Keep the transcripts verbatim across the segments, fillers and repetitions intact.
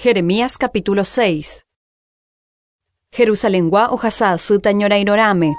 Jeremías capítulo seis. Jerusalengua ohasa'asýta ñorairõrãme.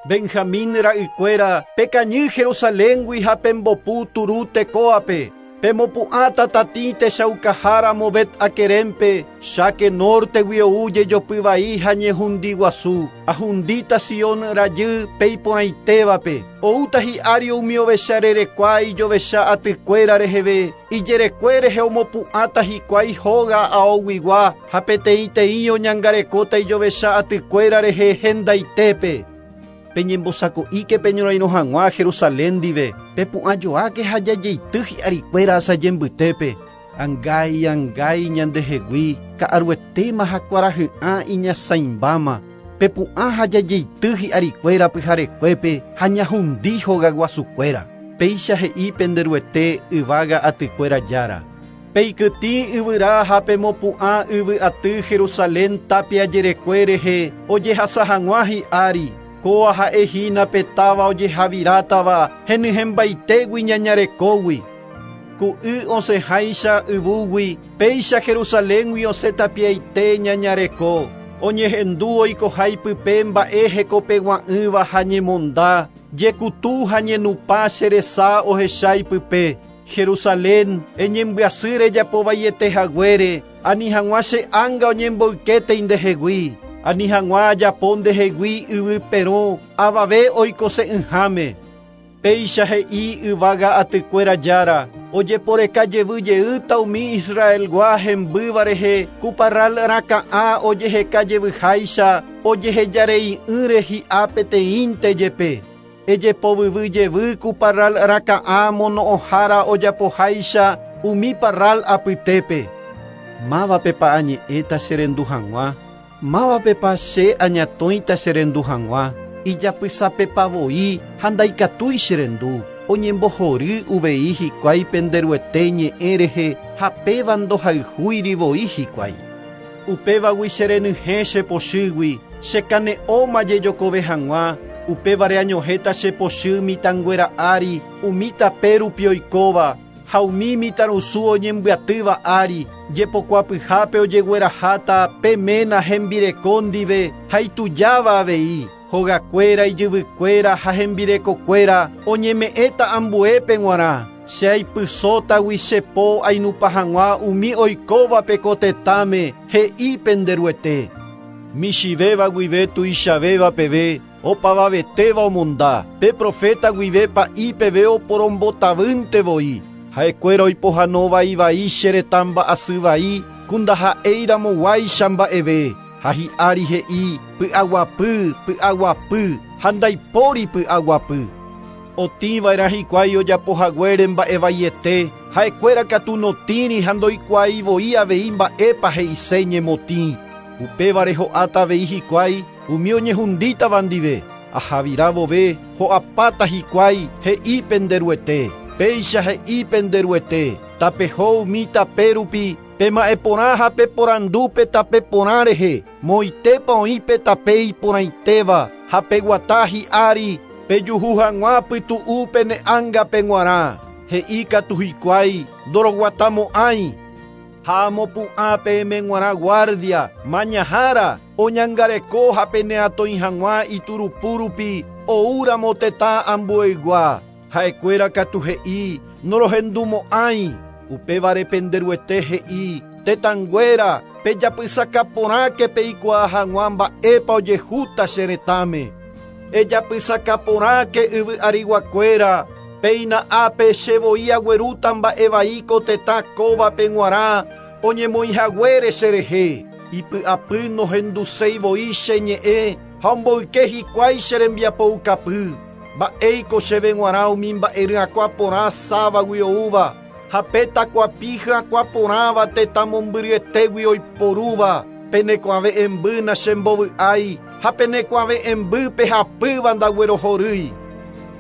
Benjamín ra'ykuéra pekañy Jerusaléngui ha pembopu turu Tecoape. Pemopu'ãta tatĩ techaukahára Bet Akerempe, cháke nortegui ou jejopyvai ha ñehundi guasu. Ahundíta Sion rajy peiporãitévape. Oúta hi'ári umi ovecha rerekua ijovecha atykuéra reheve. Ijerekue rehe omopu'ãta hikuái hóga aoguigua ha peteĩteĩ oñangarekóta ijovecha atykuéra rehe hendaitépe. Peñembosako'íke peñorairõ hag̃ua Jerusalén ndive, pepu'ãjoáke ha jajeity hi'arikuéra asajembytépe. Angái, angái ñandehegui, ka'aruetéma ha kuarahy'ã iñasãimbáma. Pepu'ã ha jajeity hi'arikuéra pyharekuépe ha ñahundi hogaguasukuéra. Péicha he'i penderuete yvága atykuéra jára. Peikytĩ yvyra ha pemopu'ã yvy aty Jerusalén tapia jerekue rehe ojehasa hag̃ua hi'ári. Kóa ha'ehína petáva ojehavirátava henyhẽmbaitégui ñañarekógui. Ku'y osẽháicha yvúgui, péicha Jerusaléngui osẽ tapiaite ñañareko. Oñehendu oikoháipype mba'e hekopegua'ỹva ha ñemonda, jekutu ha ñenupã che resa ohecháipype. Jerusalén, eñembyasy rejapovaiete haguére, ani hag̃ua che ánga oñemboykéte indehegui. Ani hag̃ua ajapo ndehegui yvy perõ avave oikose'ỹháme. Péicha he'i yvága atykuéra jára, ojeporeka jevy jeýta umi Israelgua hembýva rehe ku parral rakã'a ojeheka jevyháicha ojehejarei'ỹre hi'a peteĩnte jepe. Ejepovyvy jevy ku parral rakã'a mono'õhára ojapoháicha umi parral apytépe. Mávapepa añe'ẽta cherendu hag̃ua? Mávapepa che añatõita cherendu hag̃ua? Ijapysapepavoi ha ndaikatúi cherendu. Oñembohory uvei hikuái penderuete ñe'ẽ rehe ha péva ndohayhúirivoi hikuái. Upévagui cherenyhẽ chepochýgui, chekane'õma jejokove hag̃ua, upévare añohéta chepochy mitãnguéra ári, umi tape rupi oikóva, ha umi mitãrusu oñembyatýva ári, jepokuapyhápe ojegueraháta pe ména hembireko ndive ha itujáva avei. Hogakuéra ijyvykuéra ha hembirekokuéra oñeme'ẽta ambuépe g̃uarã. Che aipysótagui chepo ainupa hag̃ua umi oikóvape ko tetãme he'i penderuete. Michĩvéva guive tuichavéva peve opavavetéva omonda. Pe profeta guive pa'i peve oporombotavýnte voi. Ha'ekuéra oipohãnovai che retã mba'asy ku ndaha'éiramoguáicha mba'eve. Ha hi'ári he'i py'aguapy, py'aguapy, ha ndaipóri py'aguapy. Otĩva'erã hikuái ojapohaguére mba'evaiete, ha'ekuéra katu notĩri ha ndoikuaivoi avei mba'épa he'ise ñemotĩ. Upévare ho'áta avei hikuái umi oñehundítava ndive. Ahavira vove ho'apáta hikuái he'i penderuete. Péicha he'i penderuete, tapeho umi tape rupi, pema'ẽporã ha peporandúpe tape porã rehe, moitépa oĩ pe tape iporãitéva ha peguata hi'ári, pejuhu hag̃ua pytu'u pene ángape g̃uarã. He'i katu hikuái ndoroguatamo'ãi. Ha amopu'ã peẽme g̃uarã guardia, mañahára, oñangareko ha peneatõi hag̃ua iturupu rupi oúramo tetã ambueygua. Ha'ekuéra katu he'i norohendumo'ãi. Upévare penderuete he'i tetãnguéra pejapysakaporãke peikuaa hag̃ua mba'épa ojehúta che retãme. Ejapysakaporãke yvy ariguakuéra, péina ápe chevoi aguerúta mba'evai ko tetã kóvape g̃uarã oñemoĩhaguére cherehe. Ipy'apy nohenduséivoi che ñe'ẽ ha omboyke hikuái che rembiapoukapy. Mba'éiko chéve g̃uarã umi mba'e ryakuã porã sávagui oúva, ha pe takuapi hyakuã porãva tetã mombyryetégui oiporúva, penekuave'ẽmby chembovy'ái ha penekuave'ẽmby pehapýva ndaguerohorýi.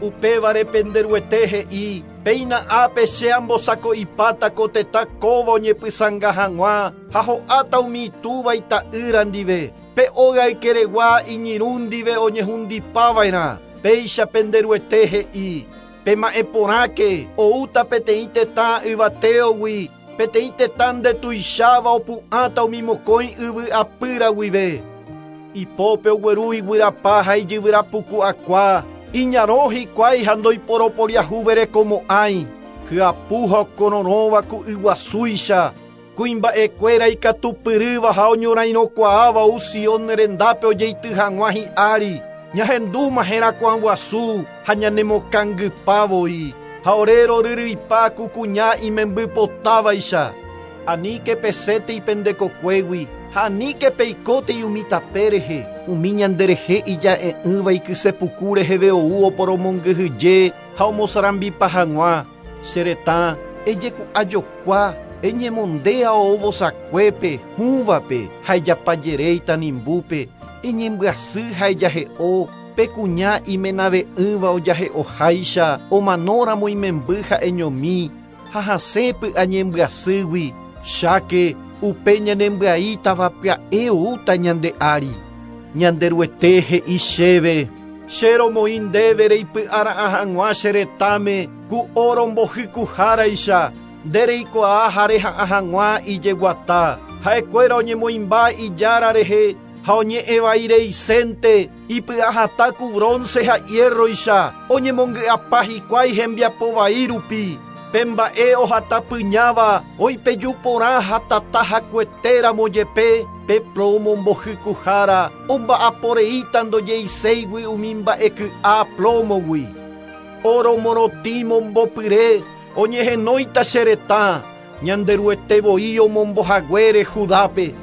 Upévare penderuete he'i, péina ápe che ambosako'ipáta ko tetã kóva oñepysãnga hag̃ua ha ho'áta umi itúva ita'ýra ndive. Pe óga ykeregua iñirũ ndive oñehundipava'erã. Péicha penderuete he'i, pema'ẽporãke oúta peteĩ tetã yvatéogui Peteĩ tetã ndetuicháva opu'ãta umi mokõi yvy apýra guive. Ipópe ogueru iguyrapa ha ijyvyrapuku akua, iñarõ hikuái ha ndoiporoporiahuverekomo'ãi, hyapu ha okororõva ku yguasúicha, kuimba'ekuéra ikatupyrýva ha oñorairõkuaáva ou Sion rendápe ojeity hag̃ua hi'ári, ñahendúma herakuã guasu ha ñanemokangypávoi, ha ore roryryipa ku kuña imembypotávaicha. Aníke pesẽtei pendekokuégui ha aníke peikótei umi tape rehe, umi ñanderehe ija'e'ỹva ikysepuku reheve ou oporomongyhyje ha omosarambipa hag̃ua. Che retã ejeku'ajokua, eñemondéa oo vosakuépe, hũvape ha ejapajeréi tanimbúpe, eñembyasy ha ejahe'o, pe kuña imenave'ỹva ojahe'oháicha, omanóramo imemby ha'eñomi, ha hasẽ py'añembyasýgui, cháke upe ñanembyaítava pya'e oúta ñande ári. Ñanderuete he'i chéve, che romoĩ ndéve reipy'ara'ã hag̃ua che retãme ku oro mbohykuháraicha, nde reikuaa ha reha'ã hag̃ua ijeguata. Ha'ekuéra oñemoĩmba ijára rehe ha oñe'ẽvaireisente, ipy'ahatã ku bronce ha hierroicha, oñemongy'apa hikuái hembiapo vai rupi. Pe mba'e ohatapyñáva oipeju porã ha tata hakuetéramo jepe, pe plomo mbohykuhára omba'aporeíta ndojeiséigui umi mba'eky'a plomogui. Oro morotĩ mombopyre oñehenóita che retã, Ñanderuete voi omombohaguére Judápe.